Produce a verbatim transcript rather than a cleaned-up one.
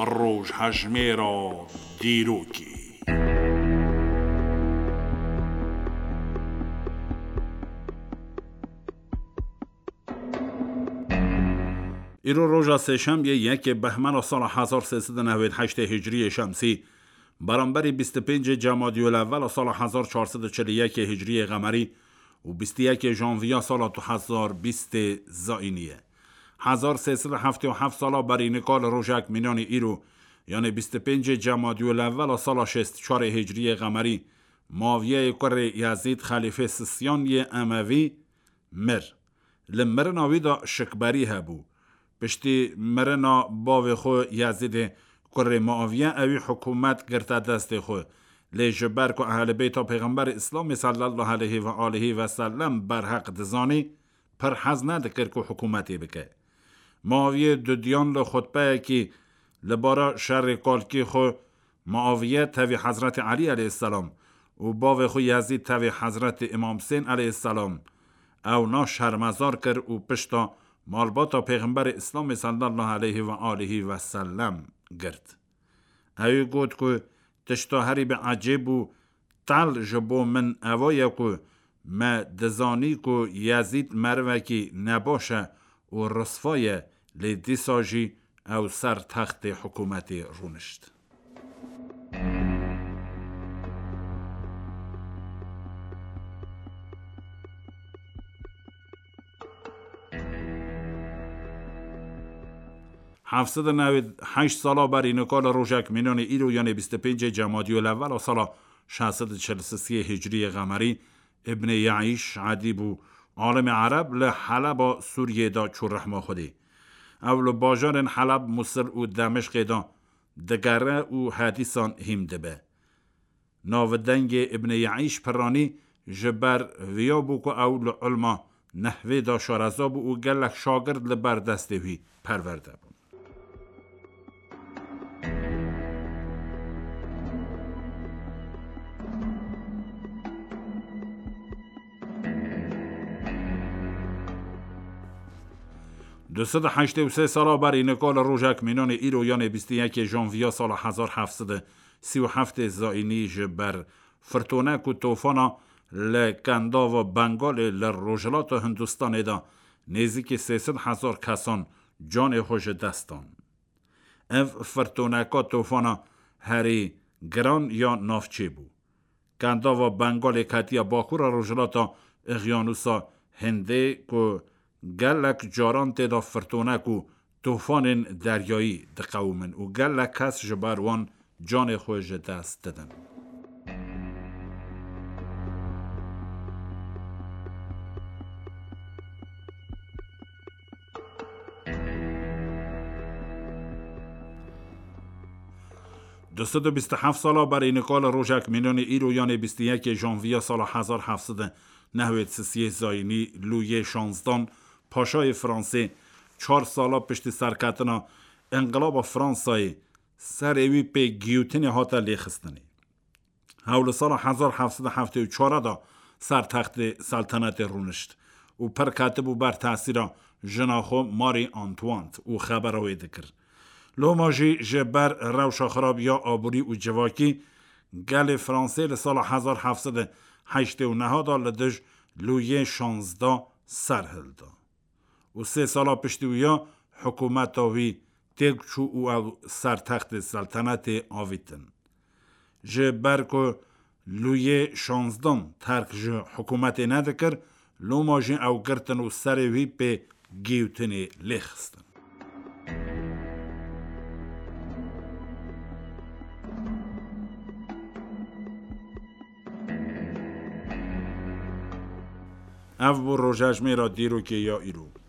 Rojhejmêra dîrokê. Îro roja sêşemiyê yekê behmena sala hezar sê sed û newêd heştê hicriyê şemsî, beramberî bîst û pêncê cemadiyul evvela sala hezar çar sed û çil û yekê hicriyê qemerî û bîst û yekê janviya sala du hezar bîstê zayînî ye. Hezar sê sed û heftê û heft sala berî nika li rojek mînanî îro, yanê bîst û pêncê cemadiyul evvela sala şêst û çarê hicriyê qemerî, Muaviyeyê kurê Yezîd xelîfê sisiyan yê Emevî mir. Li mirina wî de şikberî hebû. Piştî mirina bavê xwe Yezîdê kurê Muaviye ewî hikûmet girte destê xwe. Lê ji ber ku Ehlî Beyta Pêxemberê Îslamê sallallahu aleyhi ve aleyhi ve sellem berheq dizanî, pir hez nedikir ku hikûmetê bike. Muaviyê dudiyan li xutbeyekî li bara şerê kalkî xwe Muaviye tevî Hezretî Elî aleyhisselam û bavê xwe Yezîd tevî Hezretî Îmam Husên aleyhisselam ewna şermezar kir û pişta malbata Pêxemberê Îslamê sallallahu aleyhi ve aleyhi ve sellem girt. Ewî got ku tişta herî bi ecêb û tel ji bo min eva ye ku me dizanî ku Yezîd merivekî nebaş e û risva ye, lê dîsa jî ew ser textê hikûmetê rûnişt. Heft sed û newêd heşt sala berî nika li rojek mînanê îro, yanê bîst û pêncê cemadiyul evvela sala şeş sed û çil û sisê hicriyê qemerî, Îbnê Yeîş edîb û alimê ereb li Heleba Sûriyê de çû rehma Xwedê. Ew li bajarên Heleb, Musil û Demişqê de digere û hedîsan hîm dibe. Navdengê Îbnê Yeîş piranî ji ber viya bû ku ew li ilma nehvê de şareza bû û gelek şagird li ber destê wî perwerde bûn. Du sed û heştê û sê sala berî nika li rojek mînanê îro, yanê bîst û yekê janviya sala hezar heft sed û sî û heftê zayînî, ji ber firtonek û tofana li Kendava Bengalê li rojhilata Hindistanê de nêzîkî sê sed hezar kesan canê xwe ji dest dan. Ev firtoneka tofana herî giran ya navçê bû. Kendava Bengalê ketiye bakura rojhilata Îqyanûsa Hindê ku gelek caran tê de firtonek û tofanên deryayî diqewimin û gelek kes ji ber wan canê xwe ji dest didin. Du sed û bîst û heft sala berî nika li rojek mînanê îro, yanê bîst û yekê janviya sala hezar heft sed û newêd sisiyê zayînî, Lûyê şanzdan, paşayê Fransê, çar sala piştî serketina Înqilaba Fransayê, serê wî pê giyotinê hate lêxistinê. Hew li sala hezar heft sed û heftê û çar de ser textê seltenetê rûnişt û pir ketibû ber tesîra jina xwe Marie Antoinette û xebera wê dikir. Loma jî ji ber rewşa xirab ya aborî û civakî, gelê Fransê li sala hezar heft sed û heştê û neh de li dij Lûyê şanzda ser hilda û sê sala piştî wî ya hikûmeta wî têk çû û ew ser textê seltenetê avîtin. Ji ber ku Lûyê şanzdan terk ji hikûmetê nedikir, loma jî ew girtin û serê wî pê giyotinê lêxistin. Ev bû rojejmêra dîrokê ya îro.